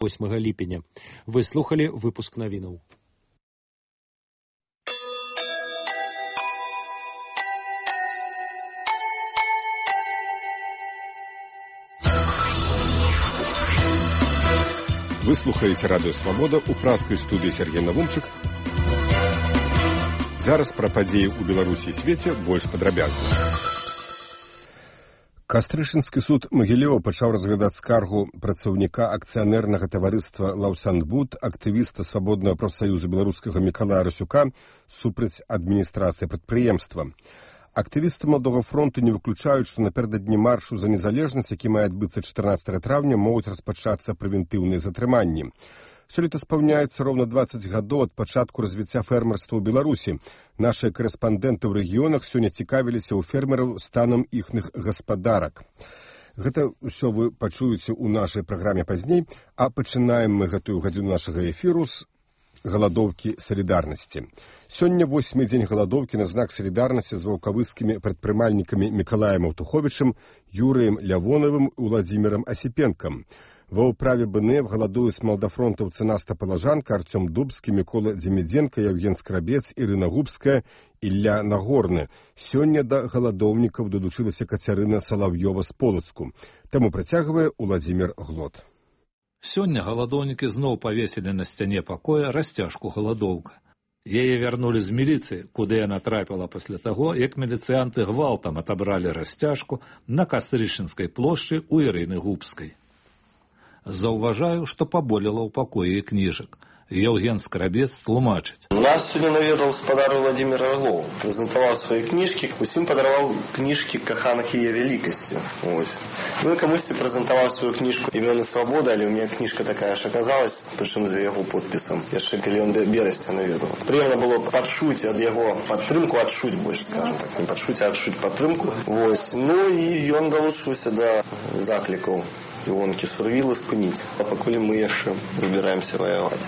8 ліпеня. Вы слухали выпуск навінаў. Вы слухаеце радыё «Свабода» у пражскай студыі Сергей Навумчык. Зараз пра падзеі ў Беларусі і свеце больш падрабязна. Кастрышынскі суд Магілёва пачаў разглядаць скаргу працаўніка акцыянернага таварыства «Лаўсанбуд», актывіста Свабоднага прафсаюза беларускага Мікалая Расюка супраць адміністрацыі прадпрыемства. Актывісты Маладога фронту не выключаюць, што напярэдадні маршу за незалежнасць, які мае адбыцца 14 траўня, могуць распачацца прэвентыўныя затрыманні. Сёлета спаўняецца роўна 20 гадоў ад пачатку развіцця фермерства ў Беларусі. Нашыя карэспандэнты ў рэгіёнах сёння цікавіліся ў фермераў станам іхных гаспадарак. Гэта ўсё вы пачуеце ў нашай праграме пазней, а пачынаем мы гэтую гадзіну нашага эфіру з галадоўкі салідарнасці. Сёння 8-й дзень галадоўкі на знак салідарнасці з ваўкавыскімі прадпрымальнікамі Мікалаем Аўтуховічым, Юрыем Лявонавым і Уладзімірам Асіпенкам. Ва ўправе БНФ галадуюць маладафронтаўцы Наста Палажанка, Артём Дубскі, Мікола Дземідзенка, Яўген Скрабец, Ірына Губская, Ілля Нагорны. Сёння да галадоўнікаў далучылася Кацярына Салаўёва з Полацку. Таму працягвае Уладзімір Глот. Сёння галадоўнікі зноў павесілі на сцяне пакоя расцяжку «Галадоўка». Яе вярнулі з міліцыі, куды яна трапіла пасля таго, як міліцыянты гвалтам атабралі расцяжку на Кастрышынскай плошчы ў Ірыны Губскай. Заўважаю, што паболела ў пакоі кніжак. Яўген Скрабец тлумачыць. Нас сёння наведаў спадар Владзімір Аглоў. Прэзентаваў свае кніжкі, усім падараваў кніжкі каханак яе вялікасці. Ну і камусьці прэзентаваў сваю кніжку «Імёны свабоды», але ў мяне кніжка такая ж аказалась, прычым за яго подпісам. Яшчэ калі ён берасця наведаў. Прыемна было пачуць ад яго падтрымку, адчуць больш, скажам так. Не пачуць, а адчуць падтрымку. Ну і ён далучыўся да заклікаў Івонкі Сурвілы спыніць, а пакуль мы яшчэ выбіраемся ваяваць.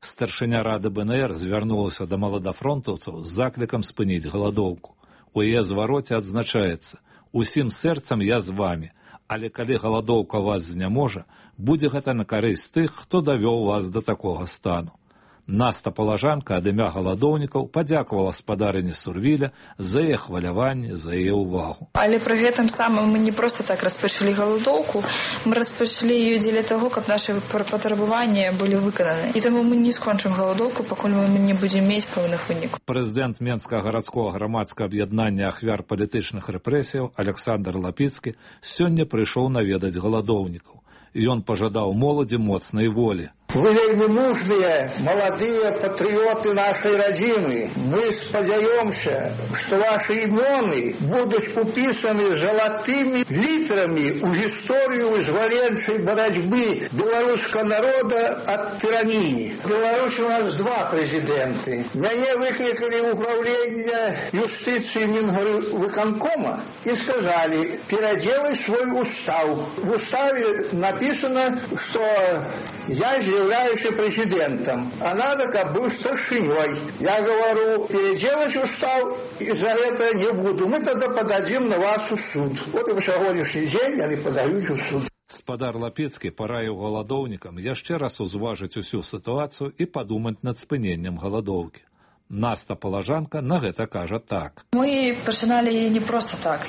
Старшыня рады БНР звярнулася да маладафронтаўцаў з заклікам спыніць галадоўку. У яе звароце адзначаецца: «Усім сэрцам я з вамі, але калі галадоўка вас зняможа, будзе гэта на карысць тых, хто давёў вас да такога стану». Наста Палажанка ад імя галадоўнікаў падзякавала спадарыні Сурвіля за яе хваляванне, за яе ўвагу. Але пры гэтым самым мы не проста так распачалі галадоўку, мы распачалі її дзеля таго, каб нашы патрабаванні былі выкананы. І таму мы не скончым галадоўку, пакуль мы не будзем мець пэўных вынікаў. Прэзідэнт Менскага гарадскога грамадскага аб'яднання ахвяр палітычных рэпрэсіяў Александр Лапіцкі сёння прыйшоў наведаць галадоўнікаў. Ён пажадаў моладзі моцнай волі. Вы вельмі мужныя, маладыя патрыёты нашай радзімы. Мы спадзяёмся, што вашы імёны будуць упісаны залатымі літрамі ў гісторыю вызваленчай барацьбы беларускага народа ад тыраніі. В Беларусі у нас два прэзідэнты. Мяне выклікалі ў управлення юстыцыі Мінвыканкома і сказалі: пераделай свой устав. В уставе написано, что я являюсь президентом, а надо, как был старшиней. Я говорю, переделать устав, и за это не буду. Мы тогда подадим на вас в суд. Вот и по сегодняшний день они подают в суд. Спадар Лапецкі параіў галадоўнікам яшчэ раз узважыць усю сітуацыю і падумаць над спыненнем галадоўкі. Наста Палажанка на гэта кажа так. Мы пачыналі не проста так,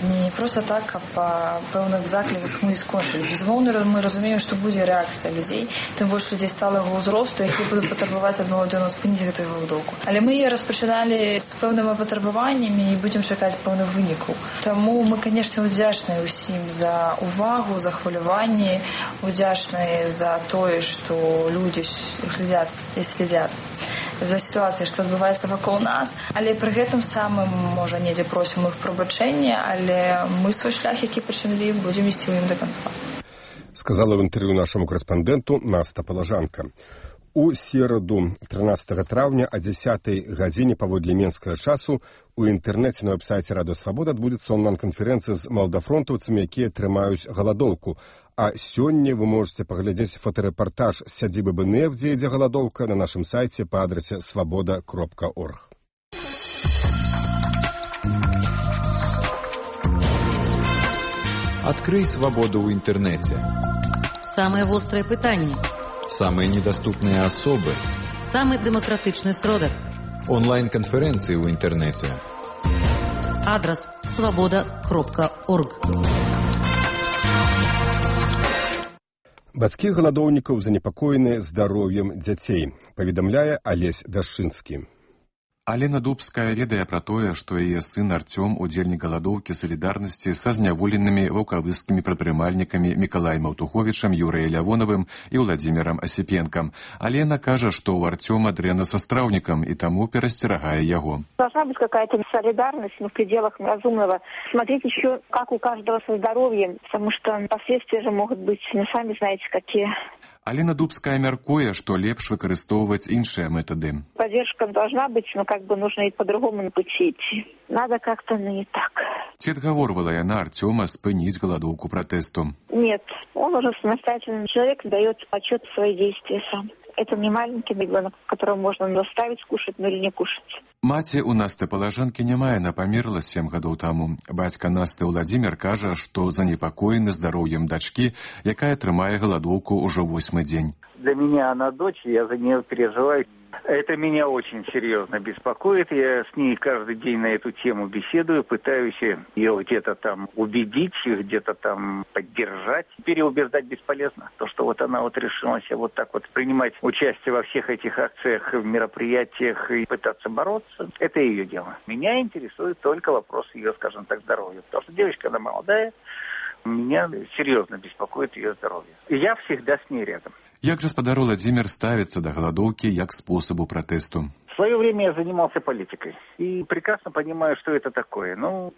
а па пэўных закліках мы скончылі. Безумоўна, мы разумеем, што будзе рэакцыя людзей, тым больш людзей сталага ўзросту, які будуць патрабаваць адмову спыніць гэтую галадоўку. Але мы яе распачыналі з пэўнымі патрабаваннямі і будзем чакаць пэўных вынікаў. Таму мы, канешне, удзячныя ўсім за увагу, за хваляванне, удзячныя за тое, што людзі глядзяць і следзяць за сітуацыяй, што адбываецца вакол нас, але пры гэтым самым, можа, недзе просім іх прабачэння, але мы свой шлях, які пачыналі, будзем ісці ў ім да канца. Сказала в інтэрв'ю нашаму корэспандэнту Наста Палажанка. У сераду 13 траўня о 10 гадзіне паводле менскага часу у інтэрнэце на веб-сайце Радыё Свабода адбудзецца онлайн-канферэнцыя з маладафронтаўцамі, якія трымаюць галадоўку. А сёння вы можете паглядзець фотарэпартаж з сядзібы БНФ, дзе ідзе галадоўка, на нашым сайце па адрасе свабода.орг. Адкрый свабоду ў інтэрнэце. Самыя вострыя пытанні. Самые недоступные особы. Самый демократичный сродок. Онлайн-конференции в интернете. Адрес свобода.орг. Бацькі галадоўнікаў занепакоеныя здароўем дзяцей, паведамляе Алесь Дашчынскі. Алена Дубская ведае пра тое, што яе сын Артём удзельнік галадоўкі салідарнасці са зняволенымі ваўкавыскімі прадпрымальнікамі Мікалаем Аўтуховічам, Юрыем Лявоновым і Владзімірам Асіпенкам. Алена кажа, што ў Артёма дрэнна са страўнікам і таму перасцерагае яго. Должна быть какая-то солидарность, в пределах разумного. Смотреть еще, как у каждого со здоровьем, потому что последствия же могут быть, сами знаете, какие. Алена Дубская мяркуе, што лепш выкарыстоўваць іншыя метады. Поддержка должна быть, но нужно и по-другому пути идти. Надо как-то, не так. Ці адгаворвала яна Артёма спыніць галадоўку пратэсту? Нет, он уже самостоятельный человек, дает отчет в свои действия сам. Это не маленький ребенок, которого можно заставить кушать, но или не кушать. Маці ў Насты Палажанкі няма, яна памерла 7 гадоў таму. Бацька Насты Владзімір кажа, што занепакоены здароўем дачкі, якая трымае галадоўку ўжо 8-й дзень. Для меня она дочь, я за нее переживаю. Это меня очень серьезно беспокоит. Я с ней каждый день на эту тему беседую, пытаюсь ее где-то там убедить, где-то там поддержать. Переубеждать бесполезно. То, что вот она вот решилась вот так вот принимать участие во всех этих акциях, мероприятиях и пытаться бороться, это ее дело. Меня интересует только вопрос ее, скажем так, здоровья. Потому что девочка, она молодая, меня серьезно беспокоит ее здоровье. И я всегда с ней рядом. Як жа спадар Владзімір ставіцца да галадоўкі як спосабу пратэсту? В свое время я занимался политикой и прекрасно понимаю, что это такое.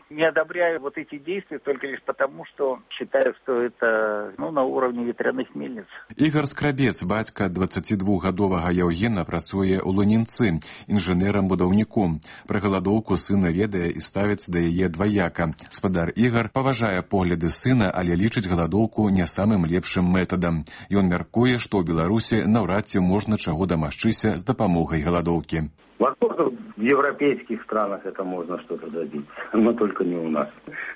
Не одобряю вот эти действия только лишь потому, что считаю, что это на уровне ветряных мельниц. Ігар Скрабец, бацька 22-гадовага Яўгена, працуе ў Лунінцы, інжынерам-будаўніком. Пра галадоўку сына ведае і ставіцца да яе дваяка. Спадар Ігар паважае погляды сына, але лічыць галадоўку не самым лепшым метадам. Ён мяркуе, што ў Беларусі наўрад ці можна чаго дамагчыся з дапамогай галадоўкі. Возможно, в европейских странах это можно что-то добиться, но только не у нас.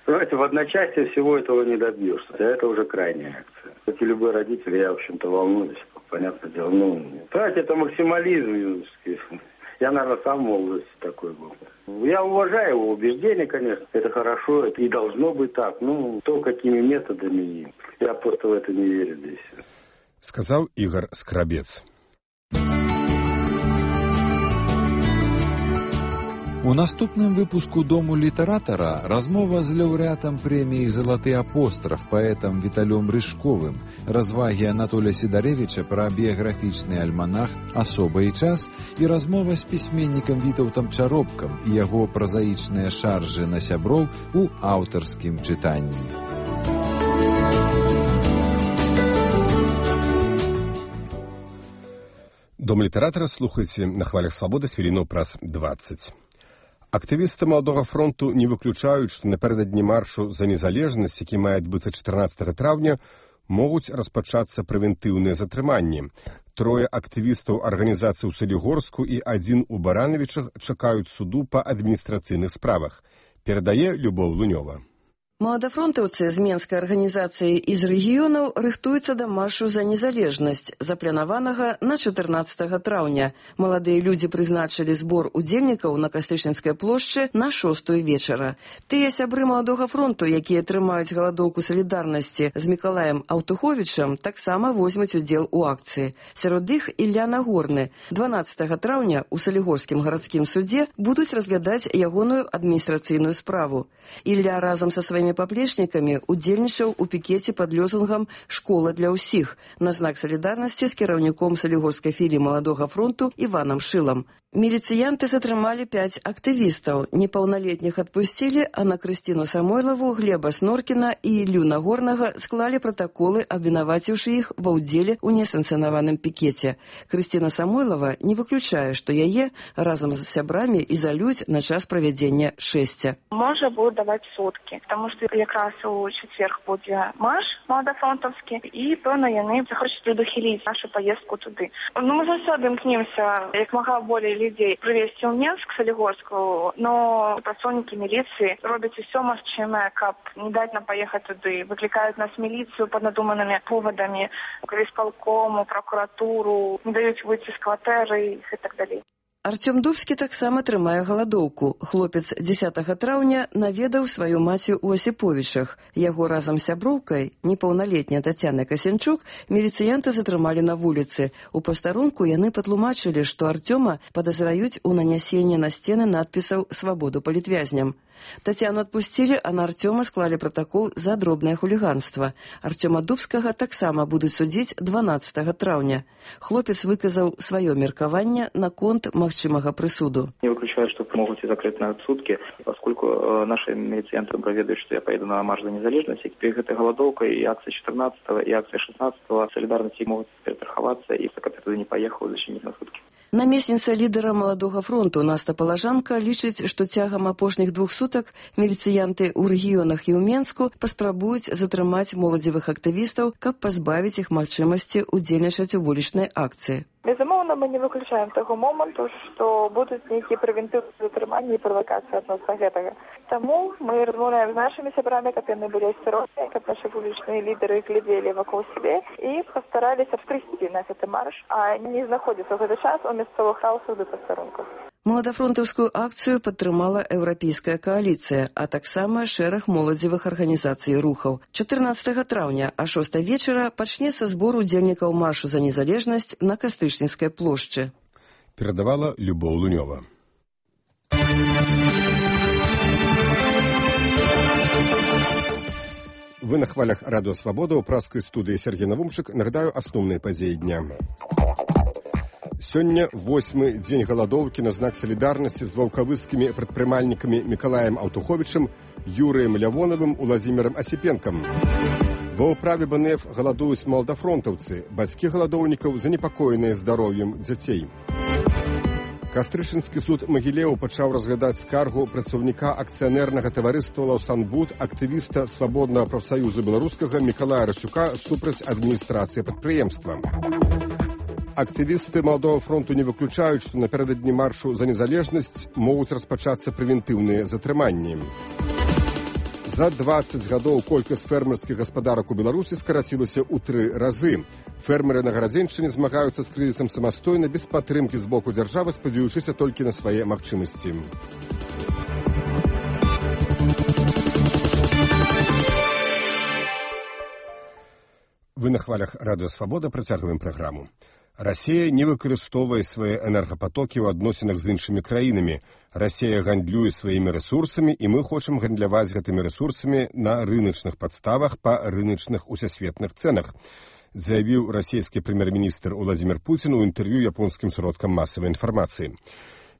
Понимаете, в одночасье всего этого не добьешься, а это уже крайняя акция. Как и любой родитель, я, в общем-то, волнуюсь, понятное дело. Понимаете, это максимализм. Я, наверное, сам в молодости такой был. Я уважаю его убеждения, конечно, это хорошо, это и должно быть так. То, какими методами, я просто в это не верю здесь. Сказал Игорь Скрабец. У наступным выпуску «Дому літаратара» размова з лаўрэатам прэміі «Залаты апостраф» паэтам Віталём Рыжковым, развагі Анатолія Сідарэвіча пра біяграфічны альманах «Асоба і час» і размова з пісьменнікам Вітаўтам Чаропкам і яго празаічныя шаржы на сяброў у аўтарскім чытанні. Дом літаратара слухайце на хвалях свабоды хвіліну праз 20. Актывісты Маладога фронту не выключаюць, што напярэдадні маршу за незалежнасць, які мае адбыцца 14 траўня, могуць распачацца прэвентыўныя затрыманні. 3 актывістаў арганізацыі ў Салігорску і 1 у Баранавічах чакаюць суду па адміністрацыйных справах. Перадае Любоў Лунёва. Маладафронтаўцы з менскай арганізацыі і з рэгіёнаў рыхтуюцца да маршу за незалежнасць, запланаванага на 14 траўня. Маладыя людзі прызначылі збор удзельнікаў на Кастрычніцкай плошчы на 6 вечара. Тыя сябры Маладога фронту, якія трымаюць галадоўку салідарнасці з Мікалаем Аўтуховічам, таксама возьмуць удзел у акцыі. Сярод іх Ілля Нагорны. 12 траўня ў Салігорскім гарадскім судзе будуць разглядаць ягоную адміністрацыйную справу. Ілля разам са сваімі паплечнікамі удзельнічаў у пікеце пад лёзунгам «Школа для ўсіх» на знак салідарнасці з кіраўніком салігорскай філіі Маладога фронту Іванам Шылам. Міліцыянты затрымалі 5 актывістаў. Непаўналетніх адпусцілі, а на Крысціну Самойлаву, Глеба Сноркіна і Іллю Нагорнага склалі пратаколы, абвінаваціўшы іх ва ўдзеле ў несанкцыянаваным пікеце. Крысціна Самойлава не выключае, што яе разам з сябрамі ізалююць на час правядзення шэсця. Можа будуць даваць суткі, таму што якраз у чацверг будзе марш маладафронтаўскі, і, пэўна, яны захочуць прадухіліць нашу паездку туды. Мы заўсёды імкнемся як мага болей людзей прывезці ў Менск, Салігорску, но працоўнікі міліцыі робяць усё магчымае, каб не даць нам паехаць туды. Выклікаюць нас міліцыю пад надуманымі повадамі, крызполкому, прокуратуру, не даюць выйти з кватэры і так далей. Артём Дубскі таксама трымае галадоўку. Хлопец 10 траўня наведаў сваю маці ў Асіповічах. Яго разам з сяброўкай, непаўналетняй Тацянай Касянчук, міліцыянты затрымалі на вуліцы. У пастарунку яны патлумачылі, што Артёма падазраюць у нанясенні на сцены надпісаў «Свабоду палітвязням». Тацяну адпусцілі, а на Артёма склалі пратакол за дробнае хуліганства. Артёма Дубскага таксама будуць судзіць 12 траўня. Хлопец выказаў сваё меркаванне наконт магчымага прысуду. Не выключаю, что могут и закрыть на сутки, поскольку наши милицианты проведают, что я поеду на марш за незалежность, и перед этой голодовкой и акция 14-го, и акция 16-го солидарности могут перестраховаться, и пока ты туда не поехал, защитить на сутки. Намесніца лідара Маладога фронту Наста Палажанка лічыць, што цягам апошніх 2 сутак міліцыянты ў рэгіёнах і ў Менску паспрабуюць затрымаць моладзевых актывістаў, каб пазбавіць іх магчымасці ўдзельнічаць у вулічнай акцыі. Безумоўна, мы не выключаем таго моманту, што будуць нейкія прэвентыўныя затрыманні і правакацыі адносно гэтага. Таму мы размаўляем з нашымі сябрамі, каб яны былі асцярожныя, каб нашы вулічныя лідары глядзелі вакол сябе і пастараліся прыйсці на гэты марш, а не знаходзіцца ў гэты час у мясцовых хаусах ды пастарунках. Маладафронтаўскую акцыю падтрымала еўрапейская кааліцыя, а таксама шэраг моладзевых арганізацый і рухаў. 14 траўня а 6 вечара пачнецца збор удзельнікаў маршу за незалежнасць на Кастрычніцкай плошчы. Перадавала Любоў Лунёва. Вы на хвалях Радыё Свабода ў праскай студыі Сергей Навумчык. Нагадаю асноўныя падзеі дня. Сёння 8-й дзень галадоўкі на знак салідарнасці з ваўкавыскімі прадпрымальнікамі Мікалаем Аўтуховічым, Юрыем Лявонавым, Уладзімірам Асіпенкам. Ва ўправе БНФ галадуюць маладафронтаўцы, бацькі галадоўнікаў занепакоеныя здароўем дзяцей. Кастрычынскі суд Магілеў пачаў разглядаць скаргу працаўніка акцыянернага таварыства «Лаўсанбуд», актывіста Свабоднага прафсаюзу беларускага Мікалая Расюка супраць адміністрацыі прадпрыемства. Актывісты Маладога фронту не выключаюць, што напярэдадні маршу за незалежнасць могуць распачацца прэвентыўныя затрыманні. За 20 гадоў колькасць фермерскіх гаспадарак у Беларусі скарацілася ў 3 разы. Фермеры на Гарадзеншчыне змагаюцца з крызісам самастойна, без падтрымкі з боку дзяржавы, спадзяючыся толькі на свае магчымасці. Вы на хвалях Радыё Свабода, працягваем праграму. Расія не выкарыстоўвае свае энергапатокі ў адносінах з іншымі краінамі. Расія гандлюе сваімі рэсурсамі, і мы хочам гандляваць гэтымі рэсурсамі на рыначных падставах па рыначных усесветных цэнах, заявіў расійскі прэм'ер-міністр Уладзімір Пуцін у інтэрв'ю японскім сродкам масавай інфармацыі.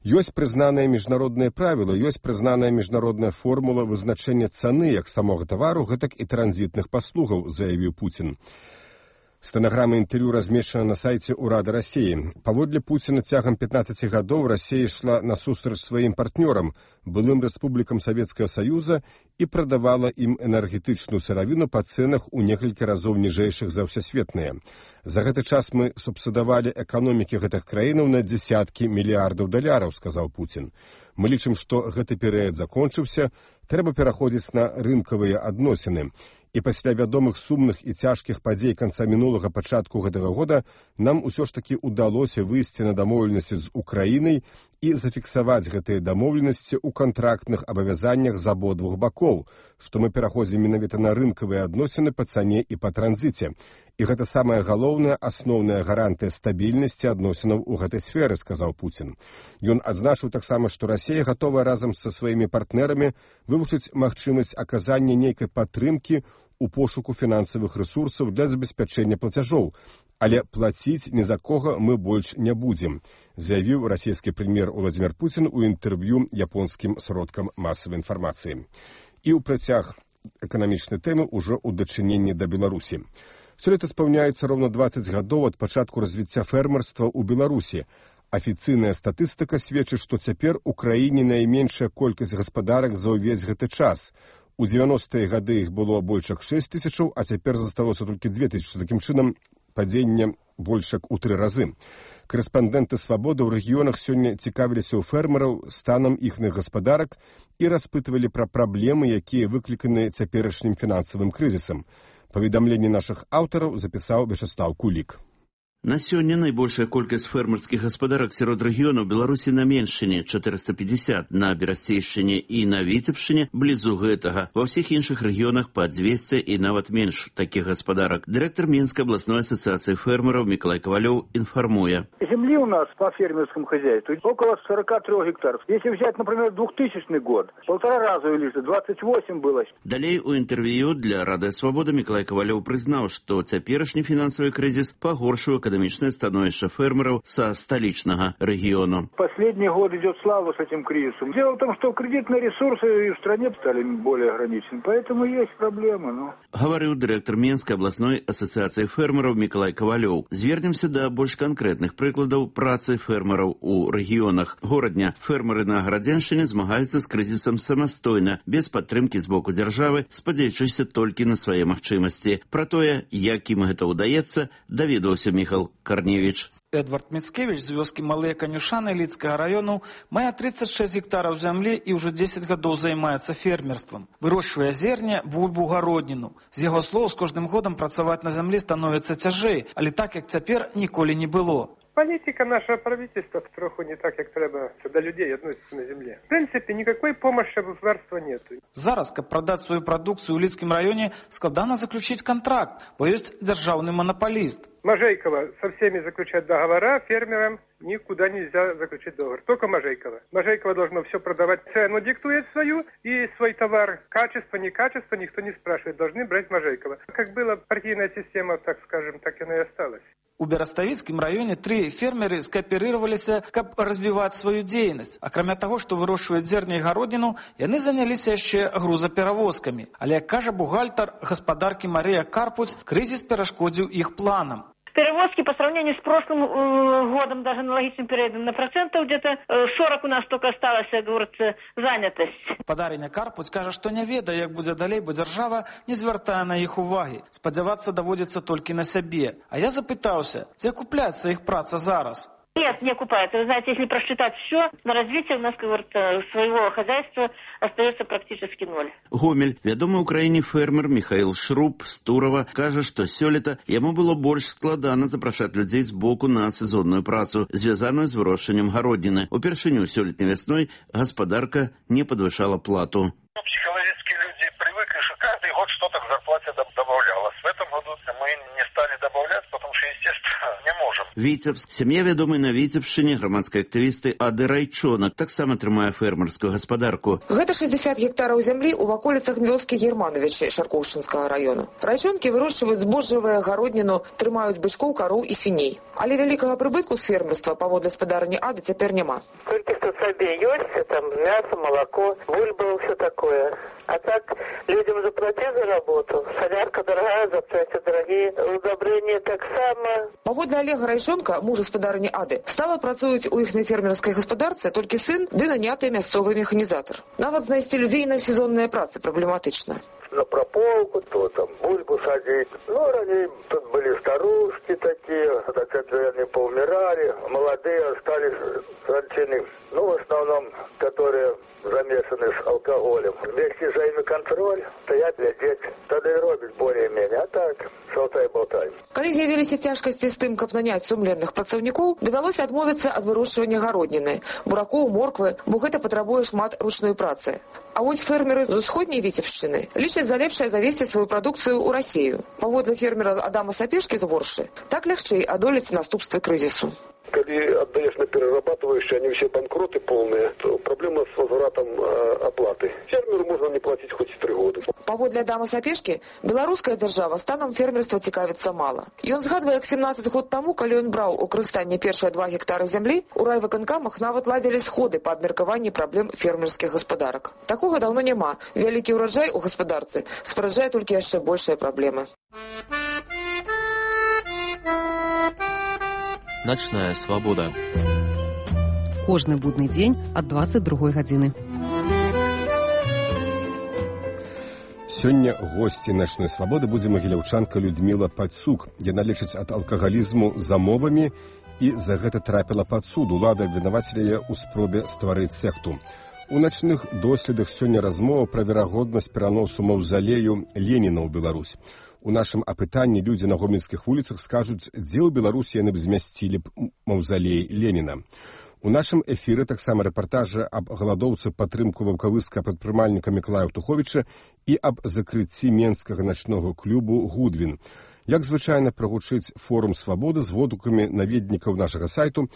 Ёсць прызнаныя міжнародныя правілы, ёсць прызнаная міжнародная формула вызначэння цаны як самога тавару, гэтак і транзітных паслугаў, заявіў Пуцін. Стэнаграма інтэрв'ю размешчана на сайце ўрада Расіі. Паводле Пуціна цягам 15 гадоў Расія ішла насустрач сваім партнёрам, былым рэспублікам Савецкага Саюза, і прадавала ім энергетычную сыравіну па цэнах у некалькі разоў ніжэйшых за ўсесветныя. За гэты час мы субсідавалі эканомікі гэтых краінаў на дзесяткі мільярдаў даляраў, сказаў Пуцін. Мы лічым, што гэты перыяд закончыўся, трэба пераходзіць на рынкавыя адносіны. І пасля вядомых сумных і цяжкіх падзей канца мінулага пачатку гэтага года нам усё ж такі ўдалося выйсці на дамоўленасці з Украінай і зафіксаваць гэтыя дамоўленасці ў кантрактных абавязаннях з абодвух бакоў, што мы пераходзім менавіта на рынкавыя адносіны па цане і па транзіце. І гэта самая галоўная, асноўная гарантыя стабільнасці адносінаў у гэтай сферы, сказаў Пуцін. Ён адзначыў таксама, што Расія гатовая разам са сваімі партнерамі вывучыць магчымасць аказання нейкай падтрымкі у пошуку фінансавых рэсурсаў для забеспячэння плацяжоў, але плаціць ні за кога мы больш не будзем, заявіў расійскі прэм'ер Уладзімір Пуцін у інтэрв'ю японскім сродкам масавай інфармацыі. І ў працяг эканамічнай тэмы ўжо ў дачыненні да Беларусі. Сёлета спаўняецца роўна 20 гадоў ад пачатку развіцця фермерства ў Беларусі. Афіцыйная статыстыка сведчыць, што цяпер у краіне найменшая колькасць гаспадарак за ўвесь гэты час. У 90-е гады іх было больш як 6 тысячаў, а цяпер засталося толькі 2 тысячы. Такім чынам, падзення больш як у 3 разы. Корэспандэнты «Свабоды» ў рэгіёнах сёння цікавіліся ў фермераў станам іхных гаспадарак і распытвалі пра праблемы, якія выкліканы цяперашнім фінансавым крызісам. Паведамленне нашых аўтараў запісаў Вячеслав Кулік. На сёння найбольшая колькасць фермерскіх гаспадарак сярод рэгіёнаў Беларусі на Меншчыне 450, на Берасцейшчыне і на Віцебшчыне блізу гэтага. Ва ўсіх іншых рэгіёнах па 200 і нават менш такіх гаспадарак. Дырэктар Мінскай абласной асацыяцыі фермераў Мікалай Кавалёў інфармуе. Земли у нас по фермерскому хозяйству около 43 гектаров. Если взять, например, 2000 год, 1,5 раза увеличили, 28 было. Далей у інтэрв'ю для Радыё Свабода Мікалай Кавалёў прызнаў, што цяперашні фінансавы крызіс пагоршыў эканамічнае становішча фермераў са сталічнага рэгіёну. Последний год идет слава с этим кризисом. Дело в том, что кредитные ресурсы в стране стали более ограничены, поэтому есть проблемы. Гаварыў дырэктар Мінскай абласной асацыяцыі фермераў Мікалай Кавалёў. Звернемся да больш канкрэтных прыкладаў працы фермераў у рэгіёнах. Горадня фермеры на Гарадзеншчыне змагаюцца з крызісам самастойна, без падтрымкі з боку дзяржавы, спадзеючыся толькі на свае магчымасці. Пра тое, як ім гэта ўдаецца, даведаўся Міхал Карневіч. Эдвард Мицкевич з вёскі Малыя Канюшаны Лідскага раёну мае 36 гектараў зямлі і ўжо 10 гадоў займаецца фермерствам. Вырошчвае зерне, бульбу, гародніну. З яго слоў, з кожным годам працаваць на зямлі становіцца цяжэй, але так, як цяпер, ніколі не было. Политика нашего правительства троху не так, как треба до людей относится на земле. В принципе, никакой помощи государства нет. Зараз, каб прадаць сваю прадукцыю ў Лідскім раёне, складана заключить контракт, бо ёсць дзяржаўны монополист. Можейкова со всеми заключает договора, фермерам никуда нельзя заключить договор. Только Можейкова. Можейкова должно все продавать. Цену диктует свою и свой товар. Качество, не качество, никто не спрашивает. Должны брать Можейкова. Как была партийная система, так скажем, так и она и осталась. У Бераставіцкім раёне 3 фермеры скааперироваліся, каб развіваць сваю дзейнасць. Акрамя таго, што вырошчваюць зерне і гародніну, яны заняліся яшчэ грузаперавозкамі. Але, як кажа бухгалтар гаспадаркі Марыя Карпуць, крызіс перашкодзіў іх планам. Перевозки по сравнению с прошлым годом, даже аналогичным периодом, на процентов где-то 40 у нас только осталось, говорится, занятость. Падарыня Карпуць кажа, што не ведае, як будзе далей, бо дзяржава не звяртае на іх увагі. Спадзявацца даводзіцца толькі на сябе. А я запытаўся, ці акупляецца іх праца зараз? Нет, не окупается. Вы знаете, если просчитать все, на развитие у нас, как говорится, своего хозяйства остается практически 0. Гомель, вядомы ў краіне фермер Михаил Шруб з Турова, кажа, што сёлета яму было больш складана запрашаць людзей з боку на сезонную працу, звязаную з вырошчваннем гародніны. Упершыню сёлетняй вясной гаспадарка не падвышала плату. Психологически люди привыкли, что каждый год что-то к зарплате добавлялось. В этом году мы не стали добавлять, потому что, естественно, не можем. Віцебск. Сям'я вядомай на Віцебшчыне грамадскай актывісты Ады Райчонак таксама трымае фермерскую гаспадарку. Гэта 60 гектараў зямлі ў ваколіцах вёскі Германовичы Шаркоўшчынскага раёна. Райчонкі вырошчваюць збожжавыя, гародніну, трымаюць бычкоў, кароў і свіней. Але вялікага прыбытку з фермерства паводле спадарні Ады цяпер няма. Толькі што сабе ёсць, там мясо, молоко, бульба, все такое. А так людям заплатить за работу. Солярка дорогая, запчасти дорогие, удобрения так само. Паводле Олега Райчонка, мужа спадарні Ады, стала працуюць у іхнай фермерскай гаспадарцы толькі сын ды наняты мясцовы механізатар. Нават знайсці людзей на сезонныя працы праблематычна. На прополку, то там бульбу садить. Ну, ранее тут были старушки такие, так это они поумирали, молодые остались ранчины. Ну, в основном, которые замешаны с алкоголем. Вместе взаимоконтроль, стоять, глядеть, тогда и робить более-менее. А так, шалтай-болтай. Калі з'явіліся цяжкасці з тым, каб наняць сумленных працаўнікоў, давялося адмовіцца ад вырошчвання гародніны, буракоў, морквы, бо гэта патрабуе шмат ручной працы. А вось фермеры з усходняй Віцебшчыны лічаць за лепшае завесці сваю прадукцыю ў Расію. Паводле фермера Адама Сапешкі з Воршы, так лягчэй адолець наступствы крызісу. Когда отдаешь на перерабатывающие, они все банкроты полные, то проблема с возвратом оплаты. Фермеру можно не платить хоть 3 года. Паводле Адама Сапешкі, беларуская дзяржава станам фермерства цікавіцца мала. Ён згадвае, як 17 год таму, калі ён браў у карыстанне першыя 2 гектары зямлі, у райвыканкамах нават ладзілі сходы па абмеркаванні праблем фермерскіх гаспадарак. Такога даўно няма. Вялікі ўраджай у гаспадарцы спараджае толькі яшчэ большыя праблемы. Начная свобода. Кожны будны дзень ад 22 гадзіны. Сёння госці начной свабоды будзе магіляўчанка Людміла Пацук. Яна лечыць ад алкагалізму замовамі і за гэта трапіла пад суд. Улада абвінавацілі яе ў спробе стварыць секту. У начных доследах сёння размова пра верагоднасць пераносу маўзалею Леніна ў Беларусь. У нашым апытанні людзі на гомельскіх вуліцах скажуць, дзе ў Беларусі яны б змясцілі б маўзалей Леніна. У нашым эфіры таксама рэпартажы аб галадоўцы падтрымку ваўкавыска прадпрымальніка Мікалая Аўтуховіча і аб закрыцці менскага начнога клубу «Гудвін». Як звычайна прагучыць форум свабоды з водгукамі наведнікаў нашага сайту,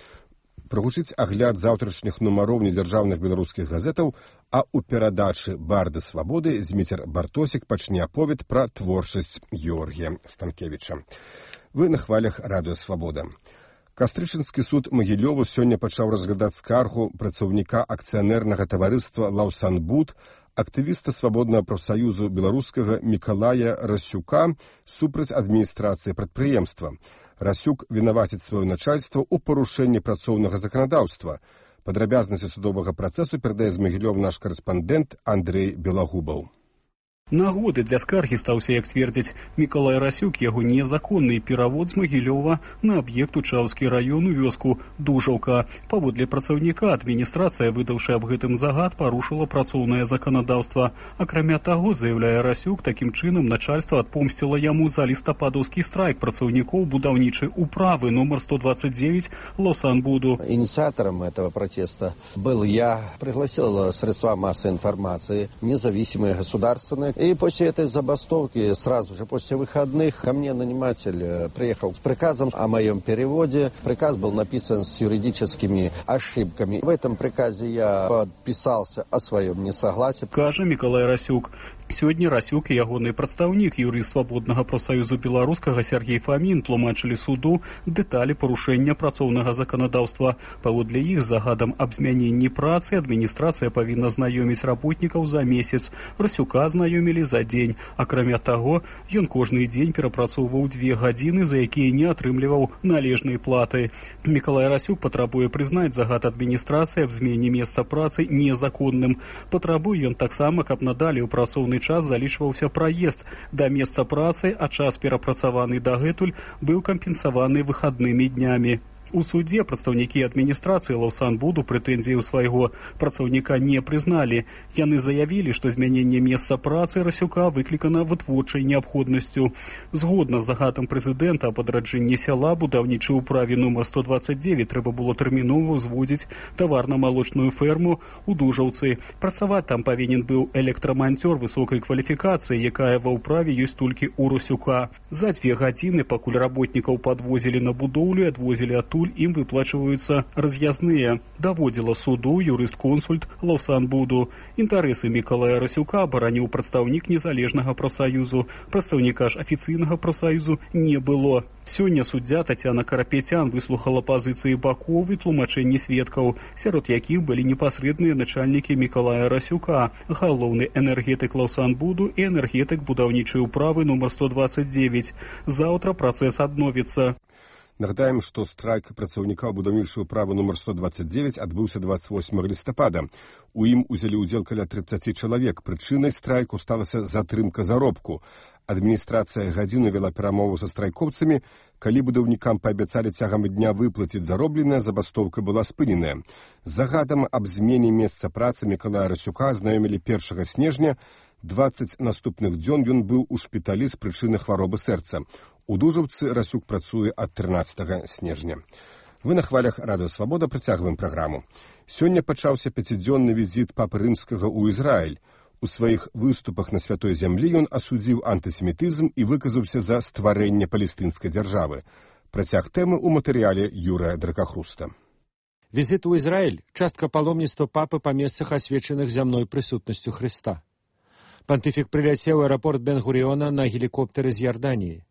прагучыць агляд заўтрашніх нумароў недзяржаўных беларускіх газетаў, а ў перадачы «Барды свабоды» Зміцер Бартосік пачне аповед пра творчасць Георгія Станкевіча. Вы на хвалях радыё «Свабода». Кастрычынскі суд Магілёва сёння пачаў разглядаць скаргу працаўніка акцыянернага таварыства «Лаўсанбуд», актывіста свабоднага прафсаюзу беларускага Мікалая Расюка супраць адміністрацыі прадпрыемства. Расюк вінаваціць сваё начальства ў парушэнні працоўнага заканадаўства. Падрабязнасці судовага працэсу перадае з Магілёва наш карэспандэнт Андрэй Белагубаў. Нагоды для скаргі стаўся, як цвердзяць Мікалай Расюк, яго незаконны перавод з Магілёва на аб'ект Учаўскі раён у вёску Дужаўка. Паводле працаўніка адміністрацыя, выдаўшы аб гэтым загад, парушыла працоўнае заканадаўства. Акрамя таго, заяўляе Расюк, такім чынам начальства адпомсціла яму за лістападаўскі страйк працаўнікоў будаўнічай управы номер 129 Лаўсанбуду. Инициатором этого протеста был я. Пригласил средства массовой информации, независимые, государственные. И после этой забастовки, сразу же после выходных, ко мне наниматель приехал с приказом о моем переводе. Приказ был написан с юридическими ошибками. В этом приказе я подписался о своем несогласии. Кажа Мікалай Расюк. Сёння Расюк і ягоны прадстаўнік, юрыст свабоднага прафсаюзу беларускага Сергей Фамін тлумачылі суду дэталі парушэння працоўнага заканадаўства. Паводле іх з загадам аб змяненні працы адміністрацыя павінна знаёміць работнікаў за месяц. Расюка знаёмілі за дзень. Акрамя таго, ён кожны дзень перапрацоўваў 2 гадзіны, за якія не атрымліваў належнай платы. Мікалай Расюк патрабуе прызнаць загад адміністрацыі аб змене месца працы незаконным. Патрабуе ён таксама, каб надалей у працоўны час залічваўся праезд да месца працы, а час перапрацаваны дагэтуль быў кампенсаваны выхаднымі днямі. У суде прадстаўнікі адміністрацыі Лаўсанбуду прэтэнзіяў свайго працаўніка не прызналі. Яны заявілі, што змяненне месца працы Расюка выклікана вытворчай неабходнасцю. Згодна з загадам прэзідэнта аб адраджэнні сяла будаўнічай управе номер 129 трэба было тэрмінова ўзводзіць таварна-малочную ферму ў Дужаўцы. Працаваць там павінен быў электраманцёр высокай кваліфікацыі, якая ва ўправе ёсць толькі ў Расюка. За 2 гадзіны, пакуль работнікаў падвозілі на будоўлю і адвозілі адтуль, ім выплачваюцца раз'язныя. Даводзіла суду юрыст-консульт Лаўсанбуду. Інтарэсы Мікалая Расюка абараніў прадстаўнік незалежнага прафсаюзу. Прадстаўніка ж афіцыйнага прафсаюзу не было. Сёння суддзя Тацяна Карапецян выслухала пазіцыі бакоў і тлумачэнні сведкаў, сярод якіх былі непасрэдныя начальнікі Мікалая Расюка, галоўны энергетык Лаўсанбуду і энергетык будаўнічай управы номер 129. Заўтра працэс адновіцца. Нагадаем, што страйк працаўніка будаўнічай управы номер 129 адбыўся 28 лістапада. У ім узялі ўдзел каля 30 чалавек. Прычынай страйку сталася затрымка заробку. Адміністрацыя гадзіну вела перамову са страйкоўцамі. Калі будаўнікам паабяцалі цягам дня выплаціць заробленае, забастоўка была спыненая. Загадам аб змене месца працы Мікалая Расюка знаёмілі 1 снежня. 20 наступных дзён ён быў у шпіталі з прычыны хваробы сэрца. У Дужаўцы Расюк працуе ад 13 снежня. Вы на хвалях радыё «Свабода» працягваем праграму. Сёння пачаўся 5-дзённы візіт папы рымскага ў Ізраіль. У сваіх выступах на святой зямлі ён асудзіў антысемітызм і выказаўся за стварэнне палестынскай дзяржавы. Працяг тэмы ў матэрыяле Юрыя Дракахруста. Візіт у Ізраіль – частка паломніцтва папы па месцах, асвечаных зямной прысутнасцю Хрыста. Пантыфік прыляцеў у аэрапорт Бен-Гуріёна на гелікоптэры з Ярданіі.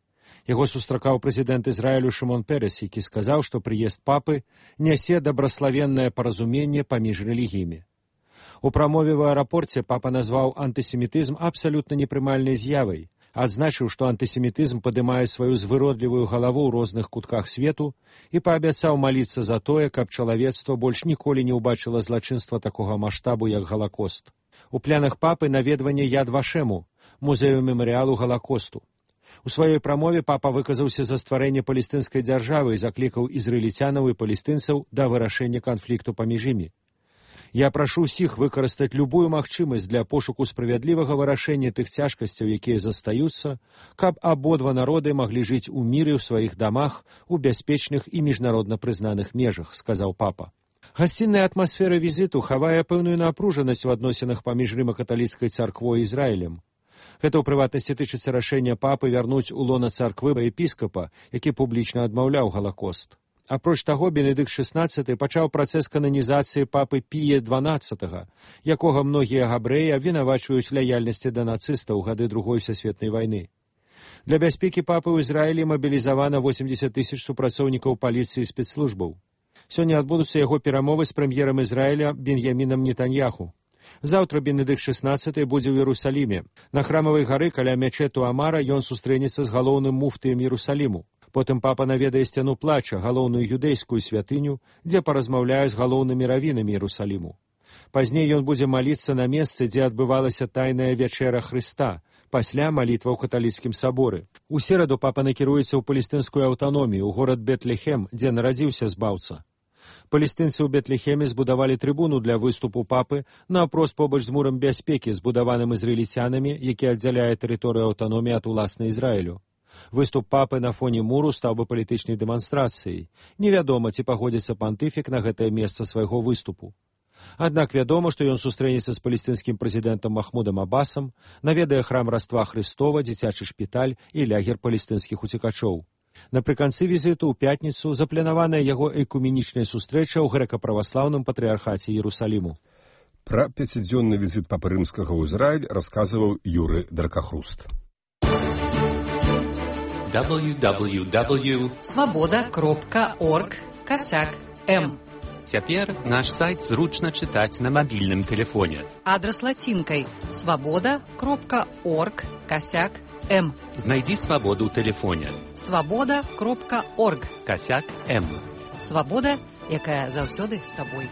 Яго сустракаў прэзідэнт Ізраілю Шымон Перес, які сказаў, што прыезд папы нясе дабраславеннае паразуменне паміж рэлігіямі. У прамове ў аэрапорце папа назваў антысемітызм абсалютна непрымальнай з'явай, адзначыў, што антысемітызм падымае сваю звыродлівую галаву ў розных кутках свету і паабяцаў маліцца за тое, каб чалавецтва больш ніколі не ўбачыла злачынства такога маштабу, як Галакост. У планах папы наведванне Яд Вашему, музею мемарыялу Галакосту. У сваёй прамове папа выказаўся за стварэнне палестынскай дзяржавы і заклікаў ізраільцянаў і палестынцаў да вырашэння канфлікту паміж імі. Я прашу ўсіх выкарыстаць любую магчымасць для пошуку справядлівага вырашэння тых цяжкасцяў, якія застаюцца, каб абодва народы маглі жыць у міры ў сваіх дамах у бяспечных і міжнародна прызнаных межах, сказаў папа. Гасцінная атмасфера візіту хавае пэўную напружанасць у адносінах паміж рыма-каталіцкай царквой і Ізраілем. Гэта ў прыватнасці тычыцца рашэння папы вярнуць у лона царквы епіскапа, які публічна адмаўляў Галакост. Апроч таго, Бенедыкт XVI пачаў працэс кананізацыі папы Пія XII, якога многія габрэі абвінавачваюць лаяльнасці да нацыстаў у гады Другой сусветнай вайны. Для бяспекі папы ў Ізраілі мабілізавана 80 000 супрацоўнікаў паліцыі і спецслужбаў. Сёння адбудуцца яго перамовы з прэм'ерам Ізраіля Беньямінам Нетаньяху. Заўтра Бенедыкт XVI будзе ў Іерусаліме. На храмавай гары каля мячэту Амара ён сустрэнецца з галоўным муфтыем Іерусаліму. Потым папа наведае сцяну плача, галоўную юдэйскую святыню, дзе паразмаўляе з галоўнымі равінамі Іерусаліму. Пазней ён будзе маліцца на месцы, дзе адбывалася тайная вячэра Хрыста, пасля малітва ў каталіцкім саборы. У сераду папа накіруецца ў палестынскую аўтаномію, ў горад Бетлехем, дзе нарадзіўся збаўца. Палестынцы ў Бетлехеме збудавалі трыбуну для выступу папы наўпрост побач з мурам бяспекі, збудаваным ізраільцянамі, які аддзяляе тэрыторыю аўтаноміі ад уласнай Ізраілю. Выступ папы на фоне муру стаў бы палітычнай дэманстрацыяй. Невядома, ці пагодзіцца пантыфік на гэтае месца свайго выступу. Аднак вядома, што ён сустрэнецца з палестынскім прэзідэнтам Махмудам Абасам, наведае храм Раства Хрыстова, дзіцячы шпіталь і лягер палестынскіх уцекачоў. Напрыканцы візіту ў пятніцу запланаваная яго экуменічная сустрэча ў грэка-праваслаўным патрыархаце Іерусаліму. Пра 5-дзённы візіт папы рымскага ў Ізраіль расказваў Юры Дракахруст. www.swaboda.org/m. Цяпер наш сайт зручна чытаць на мабільным тэлефоне. Адрас лацінкай swaboda.org/m. Знайдзі свабоду ў тэлефоне. swaboda.org/m. Свабода, Свабода, якая заўсёды з табой.